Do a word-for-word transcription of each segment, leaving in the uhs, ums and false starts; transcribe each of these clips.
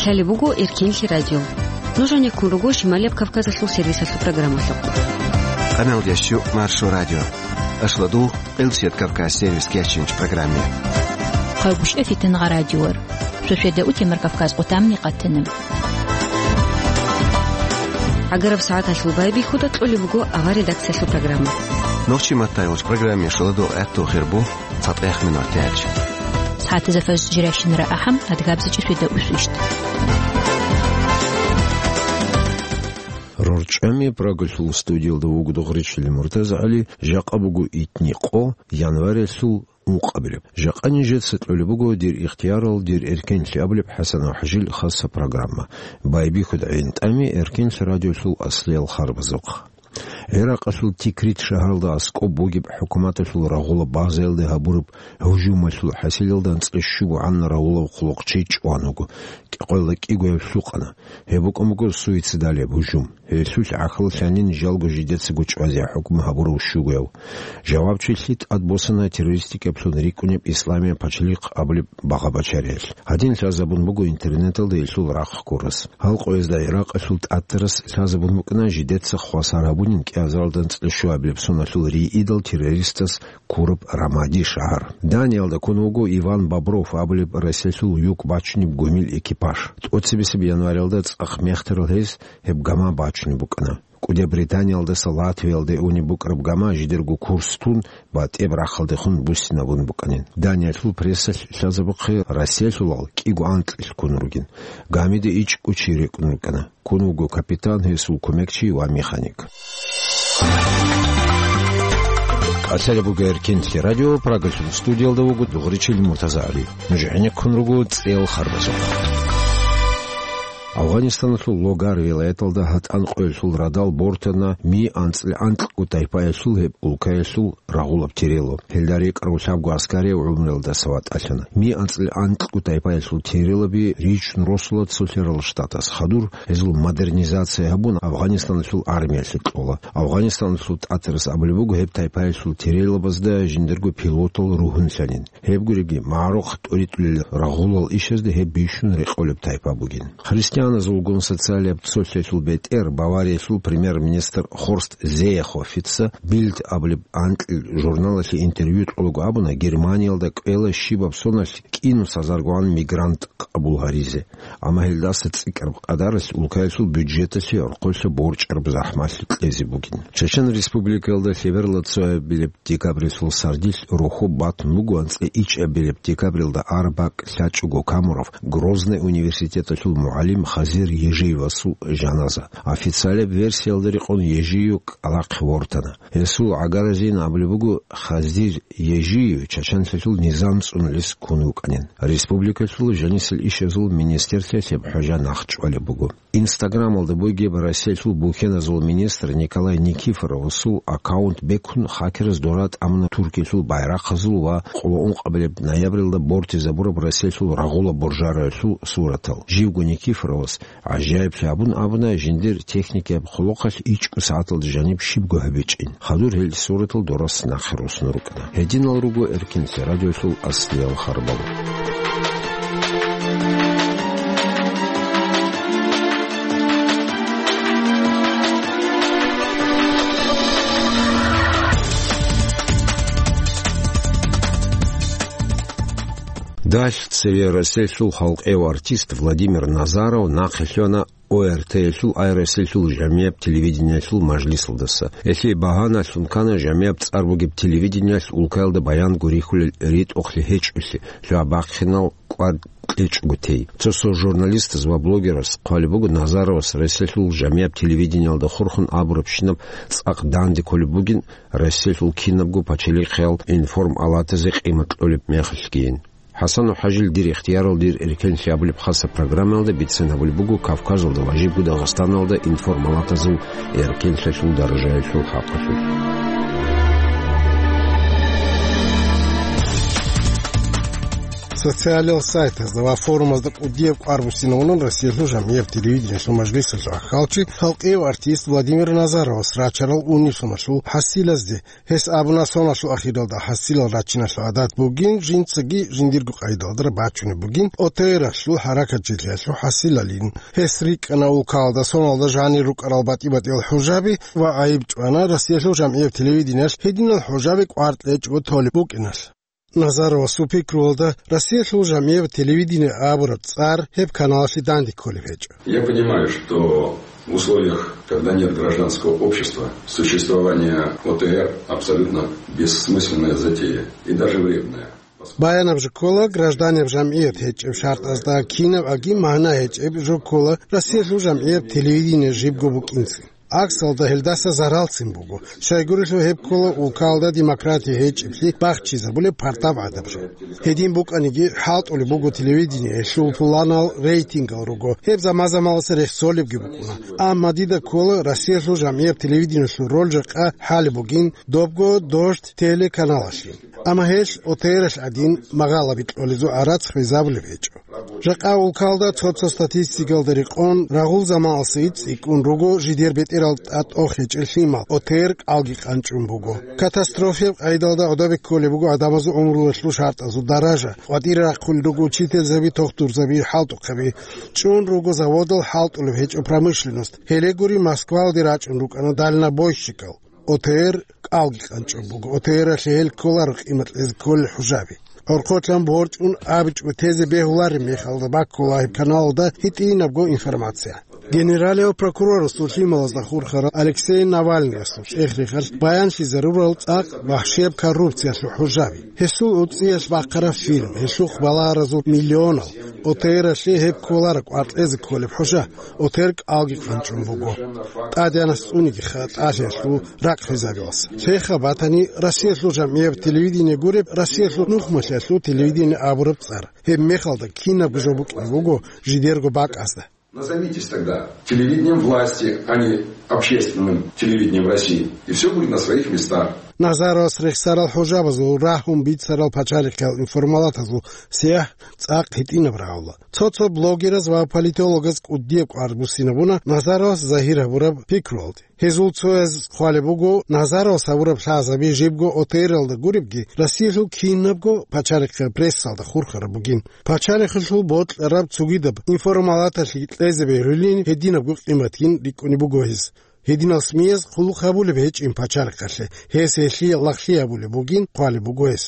Лъалеб буго Эркенлъи радио. Нуж гьанеккун руго Шималияб Кавказалъул сервисалъул программалъухъ. Къаналдящу Маршо радио. Ашладул Къилсият Кавказ сервис кечинч программе. Хъагушев Фитнагъа радиор. Шошеда утемар Кавказ къутамни къатана. Агараб сагӀаталъул байбихьуда кьолеб буго авар редакциялъул программа. Нохчи маттайолч программе шаладу гӀатту хирбу. ЦатӀехмин артяч. СагӀатазда фажр жиращинара ахӀам, адгабзичӀи шведа усвищт. РорчӀами Прагалъул студиялда вуго Дугъричилин МуртазагӀали, жакъа буго итни къо, январялъул ункъабилеб. Жакъа нижеца кьолеб буго дир ихтиярал, дир эркенлъи абулеб ХӀасан ва ХӀажил хаса программа. Байбихьуда гӀинтӀами Эркенлъи радиолъул аслиял харбазухъ. ГӀиракъалъул Тикрит шагьаралда аскӀоб бугеб хӀукуматалъул рагъула базаялде гьабураб гьужумалъул хӀасилалда анцӀила щуго гӀанна рагъулав хъулухъчи чӀван вуго, кӀикъоялда кӀигояв лъукъана. Гьеб букӀун буго суицидалияб гьужум. Гьелъулъ гӀахьаллъанин жалго жидецаго чӀвазе хӀукму гьабурав щугояв. Жавабчилъи тӀадбосана террористикаблъун рикӀкӀунеб Исламияб пачалихъ абулеб багъа-бачариялъ. Гьадин лъазабун буго интернеталда гьелъул рахъ ккурас. Гьал къоязда ГӀиракъалъул тӀатарас лъазабун букӀана жидеца хвасар гьабунин кӀиазаралда анцӀила щуабилеб соналъул рийидал террористас ккураб Рамади шагьар. Даниялда ккун вуго Иван Бобров абулеб Россиялъул юк бачунеб гумил экипаж. ТӀоцебесеб январалда цӀакъ мехтарал гьез гьеб гама бачунеб букӀана. КӀуди Британиялдаса Латвиялде унеб букӀараб гама жидерго курс тун, батӀияб рахъалдехун буссинабун букӀанин. Даниялъул прессалъ лъазабухъе Россиялъулал кӀиго анкьилъ ккун ругин. Гамида ичӀго чи рекӀун рукӀана. Ккун вуго капитан, гьесул кумекчи ва механик. Лъалеб буго Эркенлъи радио, Прагалъул студиялда вуго Дугъричил МуртазагӀали. Нуж гӀенеккун руго цӀел харбазухъ. Афгъанистаналъул Логар вилаяталда гьатӀан къоялъул радал бортана ми анцӀила анкьго тайпаялъул гьеб улкаялъул рагъулаб терело. Гьелда рекӀарав лъабго аскари гӀумруялдаса ватӀалъана. Ми анцӀила анкьго тайпаялъул терелаби ричун росула цолъарал штатас. Хадур гьезул модернизация гьабун, Афгъанистаналъул армиялъе кьола. Афгъанистаналъул тӀатарас абулеб буго гьеб тайпаялъул терелабазда жиндирго пилотал ругьунлъанин. Гьеб гуриги, магӀарухъ тӀуритӀулел рагъулал ишазда гьеб бищун рекъолеб тайпа бугин. Христианазулгун социалияб цолъиялъул бетӀер Бавариялъул премьер-министр Хорст Зеехофица Бильд абулеб анкьил журналалъе интервью кьолаго абуна, Германиялда кӀвела щибаб соналъ кӀинус гьазаргоан мигрант къабул гьаризе. Амма гьелдаса цӀикӀкӀараб къадаралъ улкаялъул бюджеталъе орхъолъа борчӀараб захӀмалъи кьезе бугин. Чечен Республикаялда лъеберла цоябилеб декабрилъул сардилъ рохьоб батун буго анцӀила ичӀабилеб декабрилда араб бакӀ лъачӀого камурав Грозный университеталъул мугӀалим Хазир Ежиевасул жаназа. Официалияб версиялда рекъон Ежиев кӀалахъе вортана. Гьесул гӀагаразин абулеб буго, Хазир Ежиев чачанлъалъул низам цӀунулес ккун вукӀанин. Республикалъул жанисел ишазул министрлъиялъе гьеб хӀужа нахъчӀвалеб буго. Инстаграмалда бугеб Россиялъул бухьеназул министр Николай Никифоровасул аккаунт бекун, хакераз дора тӀамуна Туркиялъул байрахъазул ва къоло ункъабилеб ноябрилда бортизабураб Россиялъул рагъула боржараялъул суратал. Живго Никифоровас гӀажаиблъи абун абуна, жиндир техникаяб хъулухъалъ ичӀго сагӀаталда жаниб щибго гьабичӀин. Хадур гьел суратал дорас нахъе росун рукӀана. Гьединал руго Эркенлъи радиолъул аслиял харбал. Далъ цеве Россиялъул халкъияв артист Владимир Назаров нахъе лъугьана ОРТ-ялъул ай Россиялъул жамияб телевидениялъул мажлисалдаса. Гьелъие багьаналъун ккана жамияб цӀар бугеб телевидениялъ улкаялда баян гурихьулел ритӀухълъи гьечӀолъи, лъугьа-бахъинал кӀвар кьечӀого тей. Цо-цо журналистаз ва блогераз хъвалеб буго Назаровас Россиялъул жамияб телевидениялда хурхун абурабщинаб цӀакъ данде кколеб бугин, Россиялъул кинабго пачалихъиял информалатазе къимат кьолеб мехалъгийин. ХӀасан ва ХӀажил, дир ихтиярал, дир эркенлъи абулеб хаса программаялда бицен гьабулеб буго Кавказалда ва жибго Дагъистаналда информалатазул эркенлъиялъул даражаялъул хӀакъалъулъ. Социалил сайтазда ва форумазда кӀудияб кӀвар буссинавунан Россиялъул жамгӀияб телевидениялъул мажлисалъул ахӀалчи, халкъияв артист Владимир Назаровас рачарал унелъуналъул хӀасилазде. Гьес абуна, соналъул ахиралда хӀасилал рачиналъул гӀадат бугин, жинцаги жиндирго къайдалда бачунеб бугин, ОТР-алъул хӀаракатчилъиялъул хӀасилалин. Гьес рикӀкӀана улкалда соналда жанир рукӀарал батӀи-батӀиял хӀужаби ва гӀайиб чӀвана Россиялъул жамгӀияб телевидениялъ гьединал хӀужаби кӀвар кьечӀого толеб букӀиналъ. Назаровасул пикруялда, Россиялъул жамгӀияб телевидение абураб цӀар гьеб каналалъе данде кколеб гьечӀо. Я понимаю, что в условиях, когда нет гражданского общества, существование ОТР абсолютно бессмысленная затея и даже вредная. Баянаб жо ккола, гражданиял жамгӀият гьечӀеб шартӀазда кинаб аги магӀна гьечӀеб жо ккола, Россиялъул жамгӀияб телевидение жибго букӀинцин. ГӀаксалда гьелдаса заралцин буго. Щайгурелъул гьеб ккола улкалда демократия гьечӀеблъи бахчизабулеб пардаб гӀадаб жо. Гьедин букӀаниги, хӀалтӀулеб буго телевидение, гьелъул пуланал рейтингал руго, гьеб заман-заманалъ рехсолебги букӀуна. Амма дида ккола, Россиялъул жамгӀияб телевидениялъул роль жакъа хӀалеб бугин, добго «Дождь» телеканалалъе. Амма гьелъ ОТР-алъ гӀадин магъалаби кьолезул гӀарац хвезабулеб гьечӀо. Жакъа улкалда цо-цо статистикалда рекъон, рагъул заманалъ цӀикӀкӀун руго жидер бетӀерал тӀатӀохечӀел лъимал, ОТР кӀалги къанчӀун буго. Катастрофияб къайдалда гӀодобе кколеб буго гӀадамазул гӀумруялъул шартӀазул даража, къватӀире рахъулел руго учительзаби, тухтурзаби, хӀалтӀухъаби. ЧӀун руго заводал, хӀалтӀулеб гьечӀо промышленность. Гьеле гури, Москвалде рачӀун рукӀана дальнобойщикал. ОТР кӀалги къанчӀун буго. ОТР-алъе гьел кколаро къимат кьезе кколел хӀужаби. ГӀорхъолъан борчӀун абичӀого тезе бегьулареб мехалда баккула гьеб каналалда гьитӀинабго информация. Генералияв прокурорасул лъималазда хурхарал Алексей Навальныясул чӀех-рехалъ баянлъизарурал цӀакъ вахӀшияб коррупциялъул хӀужаби. Гьесул уцӀиялъ бахъараб фильм, гьелъухъ балагьаразул миллионал. ОТР-алъе гьеб кколаро кӀвар кьезе кколеб хӀужа. ОТР кӀалги къанчӀун буго. ТӀадегӀанас цӀуниги хатӀалъиялъул рахъ хвезабилас. Лъеха батани, Россиялъул жамгӀияб телевидение гуреб, Россиялъул нухмалъиялъул телевидение абураб цӀар. Гьеб мехалда кинабго жо букӀине буго жидерго бакӀазда. Назовитесь тогда телевидением власти, а не общественным телевидением России, и все будет на своих местах. Назаровас рехсарал хӀужабазул рагьун бицарал пачалихъиял информалатазул сягӀ цӀакъ гьитӀинаб рагӀула. Цо-цо блогераз ва политологаз кӀудияб кӀвар буссинабуна Назаровас загьир гьабураб пикруялде. Гьезул цояз хъвалеб буго, Назаровас гьабураб лъазаби жибго ОТР-алда гуребги, Россиялъул кинабго пачалихъе прессалда хурхараб бугин. Пачалихъалъул бокьараб цогидаб информалаталъе кьезе бегьулин гьединабго къиматгин рикӀкӀунеб буго гьез. Гьединал СМИ-яз хъулухъ гьабулеб гьечӀин пачалихъалъе, гьес гьелъие лагълъи гьабулеб бугин хъвалеб буго гьес.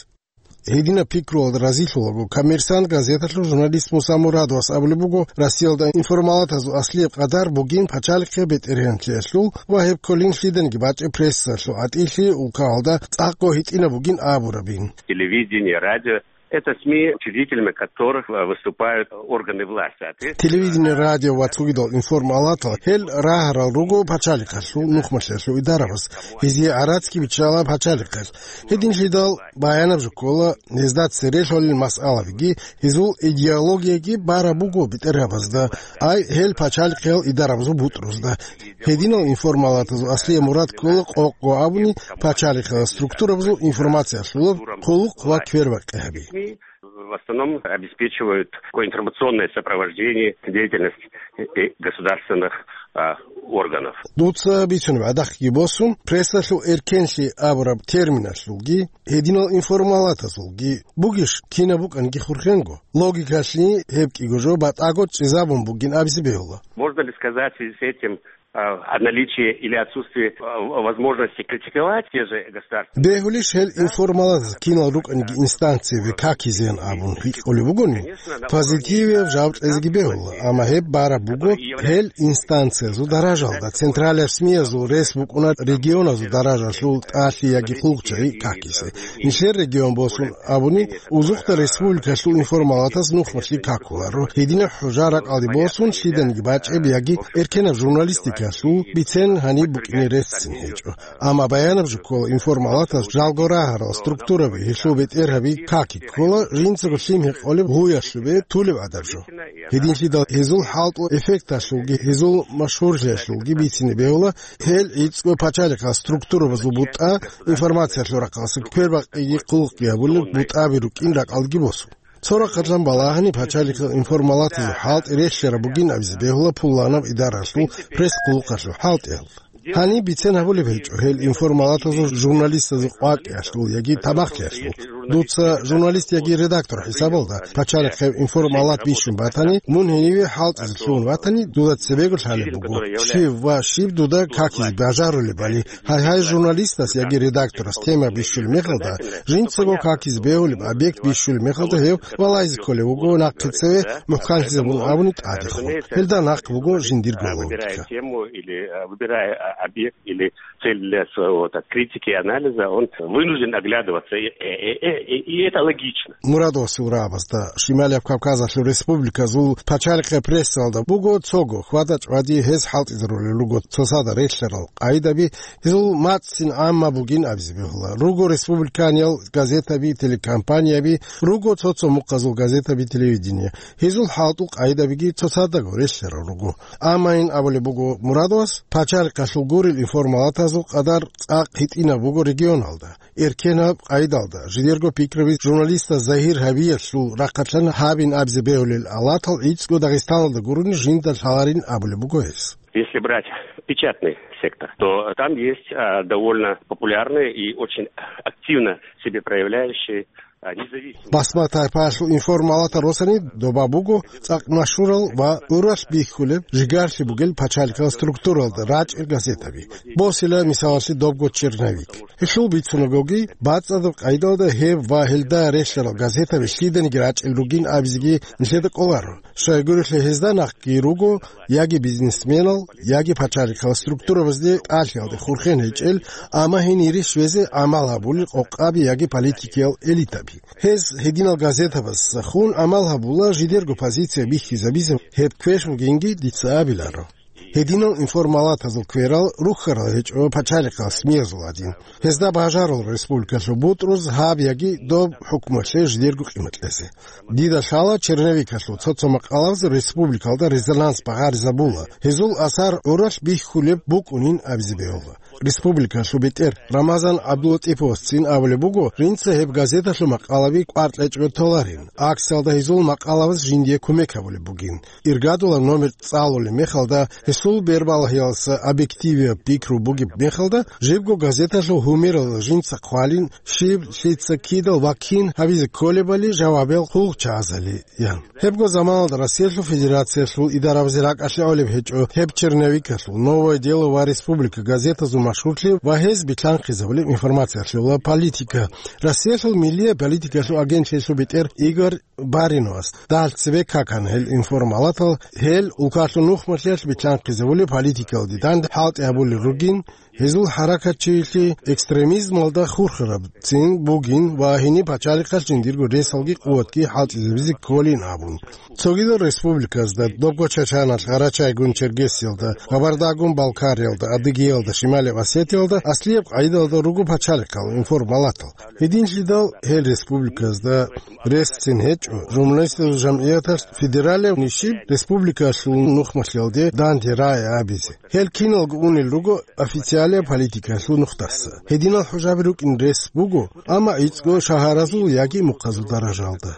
Гьединаб пикруялда разилъулаго, «Коммерсант» газеталъул журналист Муса Мурадовас абулеб буго, Россиялда информалатазул аслияб къадар бугин пачалихъе бетӀергьанлъиялъул ва гьеб кколин лъиданиги бачӀеб прессалъул гӀатӀилъи улкалда цӀакъго гьитӀинаб бугин абурабин. Телевидение, радио — это СМИ, учредителями которых выступают органы власти. Телевидение, радио ва цогидал информалатал гьел рагьарал руго пачалихъалъул нухмалъиялъул идарабаз. Гьезие гӀарацги биччала пачалихъалъ. Гьединлъидал баянаб жо ккола, гьезда цере лъолел масъалабиги, гьезул идеологияги бараб буго бетӀергьабазда, ай гьел пачалихъиял идарабазул бутӀрузда. Гьединал информалатазул аслияб мурад ккола, къокъго абуни, пачалихъиял структурабазул информациялъулаб хъулухъ ва квербакъи гьаби. В основном обеспечивают такое информационное сопровождение деятельности, э, государственных, а, органов. Дуца бицунеб гӀадахъги босун, прессалъул эркенлъи абураб терминалъулги, гьединал информалатазулги бугищ, кинаб букӀанги хурхенго. Логикалъе гьеб кӀиго жо батӀаго чӀезабун бугин абизе бегьула. Можно ли сказать в связи с этим, а, о наличии или отсутствии, а, возможности критиковать те же государственные? Бегьулищ гьел информалатаз кинал рукӀаниги инстанцияби какизеян абун гьикъулеб бугони, позитивияб жаваб кьезеги бегьула, амма гьеб бараб буго гьел инстанциязул даражалда, централияб СМИ-язул рес букӀуна регионазул даражалъул тӀалъи яги хъулухъчагӀи какизе. Нилъер регион босун абуни, Узухъда республикалъул информалатаз нухмалъи какуларо. Гьединаб хӀужа ракӀалде босун лъиданиги бачӀеб яги эркенаб журналистикалъул бицен гьаниб букӀине реццин гьечӀо. Амма баянаб жо ккола, информалатаз жалго рагьарал структураби, гьелъул бетӀергьаби каки ккола, жинцаго лъим гьекъолеб гьуялъубе тулеб гӀадаб жо. Гьединлъидал гьезул хӀалтӀул эффекталъулги, гьезул машгьурлъиялъулги бицине бегьула, гьел гӀицӀго пачалихъал структурабазул бутӀа, информациялъул рахъалъа квербакъиги хъулухъги гьабулел бутӀаби рукӀин ракӀалдеги босун. Цо рахъалъан балагьани пачалихъал информалатазул хӀалтӀи релълъараб бугин абизе бегьула пуланаб идаралъул пресс-къуллукъалъул хӀалтӀиялда. Гьаниб бицен гьабулеб гьечӀо гьел информалатазул журналистазул къвакӀиялъул яги тамахлъиялъул. Дуца журналист яги редактор хӀисабалда пачалихъеб информалат бищун батани, мун гьениве хӀалтӀизе лъугьун ватани, дуда цебего лъалеб буго, щив ва щиб дуда какизе бажарулебали. Гьай-гьай, журналистас яги редакторас тема бищулеб мехалда, жинцаго какизе бегьулеб объект бищулеб мехалда гьев валайзе кколев вуго нахъе цеве мухӀканлъизабун абуни тӀадехун. Гьелда нахъ буго жиндирго логика. Тему или, э, выбирая, а, объект или цель для своего, так, критики и анализа, он вынужден оглядываться. И, и, и, и, и это логично. Мурадовасул рагӀабазда Шималияб Кавказалъул республиказул пачалихъе прессалда буго цого хьвада-чӀвади гьез хӀалтӀизарулел руго цоцазда релълъарал къайдаби, гьезул мацӀцин гӀамма бугин абизе бегьула. Руго республиканиял газетаби, телекомпанияби, руго цо-цо мухъазул газетаби, телевидение. Гьезул хӀалтӀул къайдабиги цоцаздаго релълъарал руго. Амма ин абулеб буго Мурадовас, пачалихъалъул гурел информалатазул къадар цӀакъ гьитӀинаб буго регионалда. Эркенаб къайдалда, жидерго пикраби журналистас загьир гьабиялъул рахъалъан гьабин абизе бегьулел алатал гӀицӀго Дагъистаналда гурони жинда лъаларин абулеб буго гьес. Если брать печатный сектор, то там есть, а, довольно популярные и очень активно себе проявляющие, а, независимые. Басма-тайпаялъул информалатал росани доба буго цӀакъ машгьурал ва гӀуралъ бихьулеб, жигарлъи бугел пачалихъал структуралда рачӀел газетаби. Босила мисалалъе добго «Черновик». Гьелъул бицунагоги, бацӀцӀадаб къайдалда гьеб ва гьелда релълъарал газетаби лъиданиги рачӀел ругин абизеги нилъеда кӀоларо. Щайгурелъул гьезда нахъги руго яги бизнесменал, яги пачалихъал структурабазде тӀалъиялде хурхен гьечӀел, амма гьенире щвезе гӀамал гьабулел къокъаби яги политикиял элитаби. Гьез гьединал газетабазда хун гӀамал гьабула жидерго позиция бихьизабизе, гьеб квеш бугинги дица абиларо. Гьединал информалатазул кверал рухьарал гьечӀо пачалихъал СМИ-язул гӀадин. Гьезда бажарал республикалъул бутӀруз гьаб яги доб хӀукмалъе жидерго къимат кьезе. Дида лъала черновикалъул цо-цо макъалабаз республикалда резонанс багъаризабула, гьезул асар гӀуралъ бихьулеб букӀунин абизе бегьула. Республикалъул бетӀер Рамазан ГӀабдулатӀиповасцин абулеб буго, жинца гьеб газеталъул макъалаби кӀвар кьечӀого толарин, акциялда гьезул макъалабаз жиндие кумек гьабулеб бугин. Иргадулаб номер цӀалулеб мехалда, гьесул бербалагьиялдаса объективияб пикру бугеб мехалда, жибго газеталъул гьумерал жинца хъвалин, щиб, лъица, кидал ва кин гьабизе кколебали жавабиял хъулухъчагӀазали, ян. Гьебго заманалда Россиялъул Федерациялъул идарабазе ракӀалъе гӀолеб гьечӀо гьеб черновикалъул «Новое дело» ва «Республика» газетазул машгьурлъи ва гьез билълъанхъизабулеб информациялъе ва политика. Россиялъул миллияб политикалъул агентлъиялъул бетӀер Игорь Бариновас дагьал цебе какана гьел информалатал, гьел улкалъул нухмалъиялъ билълъанхъизабулеб политикалде данде хӀалтӀи гьабулел ругин, гьезул хӀаракатчилъи экстремизмалда хурхарабцин бугин ва гьениб пачалихъалъ жиндирго ресалги къуватги хӀалтӀизабизе кколин абун. Цогидал республиказда, добго Чачаналъ, Гъарачайгун-Чергесиялда, Кабардагун-Балкариялда, Адыгеялда, Шималияб Осетиялда аслияб къайдалда руго пачалихъал информалатал. Гьединлъидал гьел республиказда ресцин гьечӀо журналистазул жамгӀияталъ федералияб нишиб республикалъул нухмалъиялде данде рагӀи абизе. Гьел киналго унел руго официалияб политикаялъул нухдаса. Гьединал хӀужаби рукӀин рес буго, амма гӀицӀго шагьаразул яги мухъазул даражалда.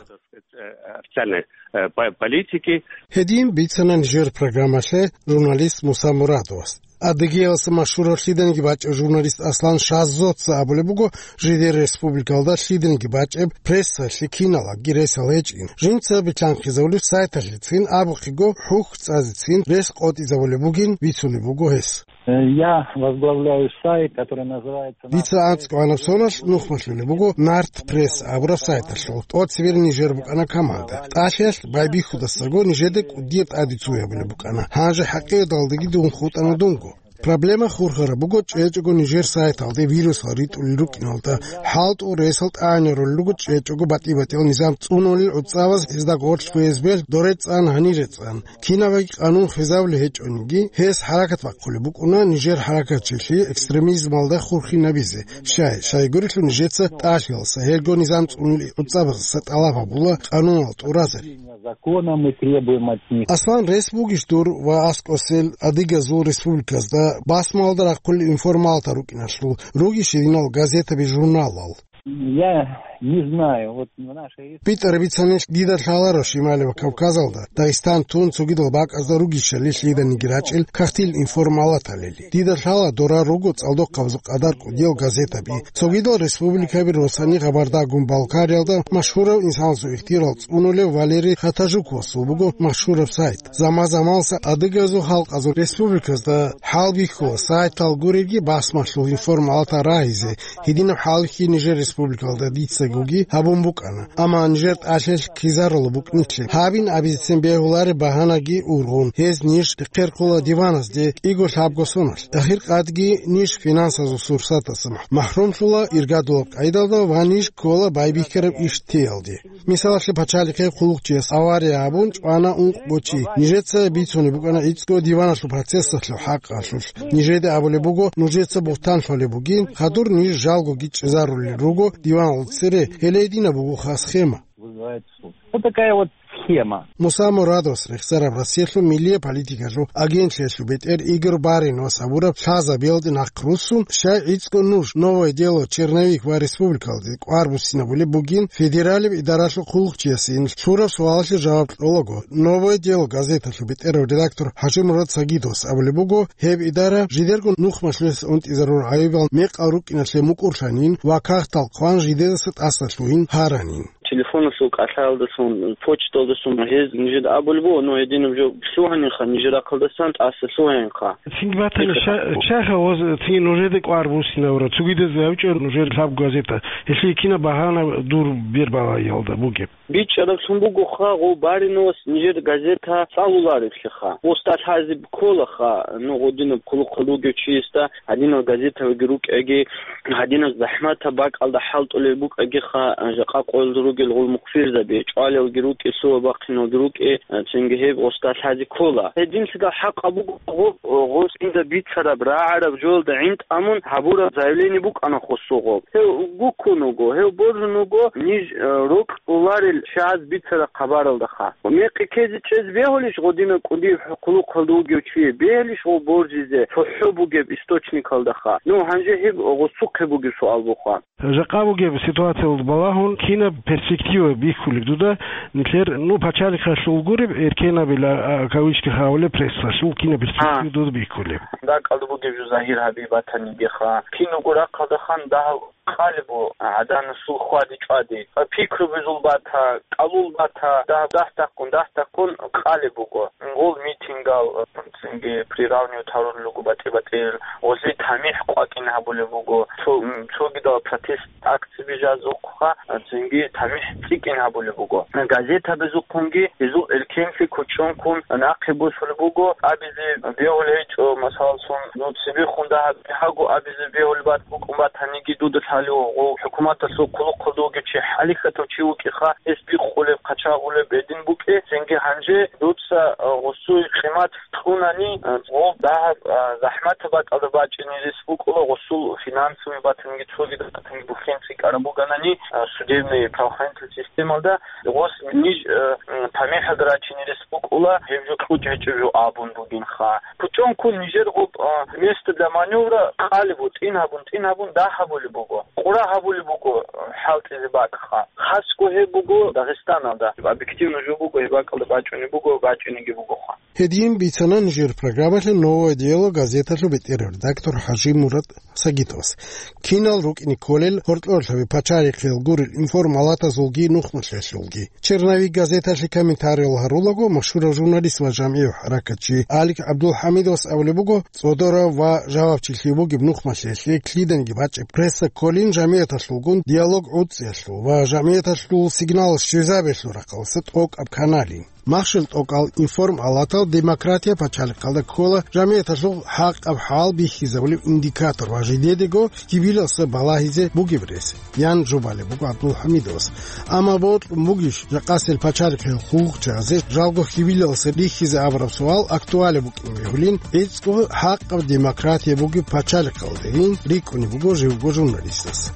Официальной, э, по-, политики. Гьедин бицана нижер программалъе журналист Муса Мурадовас. Адыгеялдаса машгьурав лъиданиги бачӀев журналист Аслан Шазоца абулеб буго, жидер республикалда лъиданиги бачӀеб прессалъе киналаги ресал гьечӀин. Жинца билълъанхъизабулеб сайталъецин абухъего хӀухь цӀазецин рес къотӀизабулеб бугин бицунеб буго гьес. Э, я возглавляю сайт, который называется Дица анцӀго гьанаб соналъ нухмалъулеб буго Нарт Пресс абураб сайталъул. ТӀоцебе нижер букӀана команда. ТӀалъиялъ байбихьудасаго нижеда кӀудияб тӀаде цо гьабулеб букӀана. Гьанже хӀакъикъаталдаги дун хутӀана дунго. Проблема хурхараб буго чӀечӀого нижер сайталде вирусал ритӀулел рукӀиналда, хӀалтӀул ресал тӀагӀинарулел руго чӀечӀого батӀи-батӀиял низам цӀунулел гӀуцӀабаз гьезда гъорлъ ФСБ-л доре цӀан, гьанире цӀан. Кинабаги къанун хвезабулеб гьечӀониги, гьес хӀаракат бахъулеб букӀуна нижер хӀаракатчилъи экстремизмалда хурхинабизе. Щай, щайгурелъул нижеца тӀалъиялдаса, гьелго низам цӀунулел гӀуцӀабаздаса тӀалаб гьабула къануналда тӀуразари. Законом мы требуем от них. Аслан, рес бугищ дур ва аскӀосел адыгазул республиказда басмалда рахъулел информалатал рукӀиналъул, ругищ гьединал газетаби-журналал? Я Не знаю, вот в нашей республике. БитӀараб бицани, дида лъаларо Шималияб Кавказалда, Дагъистан тун, цогидал бакӀазда ругищали лъиданиги рачӀел кагътил информалаталили. Дида лъала дора руго цӀалдохъабазул къадар кӀудиял газетаби. Цогидал республикаби росани Гъабардагун Балкариялда машгьурав инсанасул ихтияр цӀунулев Валерий Хатажуковасул буго машгьураб сайт. Заман-заманаса адыгазул халкъазул республиказда хӀалбихьула сайтал гуребги басмалъул информалатал рагьизе, гьединаб хӀалихьи нижер республикалда дицагоги гьабун букӀана, амма нижер тӀалъи ккезарулеб букӀиналъе гьабин абизецин бегьулареб багьанаги ургъун, гьез ниж рехъерхъула диваназде кӀиго-лъабго соналъ. Ахир къадги ниж финансазул сурсаталъа махӀрумлъула иргадулаб къайдалда ва ниж ккола байбихьараб иш теялде. Мисалалъе, пачалихъе хъулухъчияс авария гьабун чӀвана ункъго чи. Нижеца бицунеб букӀана гӀицӀго диваналъул процессалъул хӀакъалъулъ. Нижеда абулеб буго, нужеца бугьтан лъолеб бугин, хадур ниж жалгоги чӀезарулел руго диваналда цере, гьеле гьединаб бугоха схема. Вызывает суд. Вот такая вот схема. Муса Мурадовас рехсараб Россиялъул миллияб политикалъул агентлъиялъул бетӀер Игорь Бариновас абураб лъазабиялде нахъ руссун, щай гӀицӀго нуж, Новое дело, Черновик ва республикалде кӀвар буссинабулеб бугин, федералияб идаралъул хъулухъчиясин лъураб суалалъе жаваб кьолаго, Новое дело газеталъул бетӀерав редактор ХӀажимурад Сагидовас абулеб буго, гьеб идара жидерго нухмалъулъ унтӀизарурал гӀайибал мекъал рукӀиналъе мукӀурлъанин ва кагътал хъван жидедаса тӀаса лъугьин гьаранин. Телефоналъул кӀалъаялдалъун, почталдалъун гьез нижеда абулеб буго, но гьединаб жо лъугьанинха, нижер рахъалдасан тӀаса лъугьанинха. Цинги батани, ша-, шайха гъоз цинги нужеда кӀвар буссинавра, цогидаз гьавичӀо нужер лъабго газета, гьелъие кинаб багьана дур бербалаялда бугеб? БичӀчӀараблъун бугоха, гъов Бариновас нижер газета цӀалулареблъиха. Усталъазе кколаха, ну, гъодинаб хъулухъал ругев чиясда гьадинал газетаги рукӀаги, гьадинаб захӀматаб бакӀалда хӀалтӀулел букӀагиха, жакъа къоялда ругел гъул мухъфирзаби, чӀвалелги рукӀи, лъугьа-бахъиналги рукӀи, цинги гьеб гъосда лъазе ккола. Гьединлъидал хӀакъаб буго гъоб, гъос инда бицараб, рагӀараб жоялда гӀинтӀамун гьабураб заявление букӀана хосугъоб. Гьев гуккун вуго, гьев божун вуго ниж, э, рокьуларел чияз бицараб хабаралдаха. Мекъи ккезе чӀезе бегьулищ гъодинаб кӀудияб хъулухъалда вугев чи, бегьулищ гъов божизе цохӀо бугеб источникалдаха? Ну, гьанже гьеб гъосухъе бугеб суал буха. Жакъа бугеб ситуациялда балагьун, кинаб перспектива бихьулеб дуда нилъер, ну, пачалихъалъул гуреб, эркенабила, а, кавычках абулеб, прессалъул кинаб перспектива А. дуда бихьулеб? Дакъалда бугеб жо загьир гьабизе батанигиха. Кинабго рахъалдаха дагьаб къалеб бу гӀаданасул хьвади-чӀвади. Пикру бузул бата, кӀалул бата, дагь-, дагь-таккун, дагь-таккун къалеб буго. Гъол митингал, цинги приравнивать гьарулел руго батӀи-батӀиял, гъозие тамихӀ къвакӀин гьабулеб буго, цо-, м, цогидал протест акцияби жазухъа, цинги тамихӀ цӀикӀкӀин гьабулеб буго. Газетабазухъунги гьезул эркенлъи кучӀонккун нахъе босулеб буго, абизе бегьулеб гьечӀо, масалалъун, ну, цебехун дагьаб бихьаго абизе бегьулеб бат-, букӀун батаниги, дуда лъалев гъов хӀукуматалъул хъулухъалда вугев чи хӀалихьатав чи вукӀиха, гьес бикъулеб, хъачагъулеб гьедин букӀе, цинги гьанже дуца, а, гъосул къимат кьунани, а, гъов дагьаб, а, захӀматаб бакӀалда бачӀине рес букӀула, гъосул финансовый батанги цогидал батанги бухӀен цӀикӀкӀараб буганани, а, судебный правоохранительный системалда гъос ниж, а, м, тамихӀалда рачине рес букӀула, гьеб жо кьучӀ гьечӀеб жо абун бугинха. КучӀонккун нижер гъоб, а, место для маневра къалеб бу, тӀин гьабун, тӀин гьабун дагь гьабулеб буго, къура гьабулеб буго, а, хӀалтӀизе бакӀха. Хасго гьеб буго Дагъистаналда. Объективно жо буго, гьеб бакӀалда бачӀунеб буго, бачӀунебги бугоха. Гьедин бицана нижер программалъе «Новое дело» газеталъул бетӀерав редактор ХӀажимурад Сагитовас. Кинал рукӀине кколел гьоркьорлъаби пачалихъел гурел информалатазулги нухмалъиялъулги. «Черновик» газеталъе комментариял гьарулаго машгьурав журналист ва жамгӀияв хӀаракатчи Алик ГӀабдулхӀамидовас абулеб буго, цӀодорав ва жавабчилъи бугеб нухмалъиялъе лъиданиги бачӀеб пресса кколин жамгӀияталъулгун диалог гӀуцӀиялъул ва жамгӀияталъул сигнал щвезабиялъул рахъалъа тӀокӀаб каналин. Махщел тӀокӀал информалатал демократия пачалихъалда ккола жамгӀияталъул хӀакъаб хӀал бихьизабулеб индикатор ва жидедего хьибилалъа балагьизе бугеб рес, ян жубалеб буго ГӀабдулхӀамидовас. Амма бокьун бугищ жакъасел пачалихъел хъулухъчиязе жалго хьибилалъа рихьизе абураб суал актуалеб букӀин бегьулин, гӀицӀго хӀакъаб демократия бугеб пачалихъалдегин рикӀкӀунеб буго живго журналистас.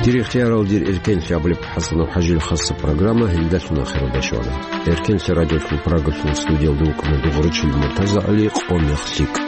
Дир ихтиярал, дир эркенлъи абулеб ХӀасанов ХӀажил хасса программа гьелдалъун ахиралда щвана. Эркенлъи радиолъул Прагалъул студиялда вукӀана дугӀручил МуртазагӀали, къо мех лъикӀ.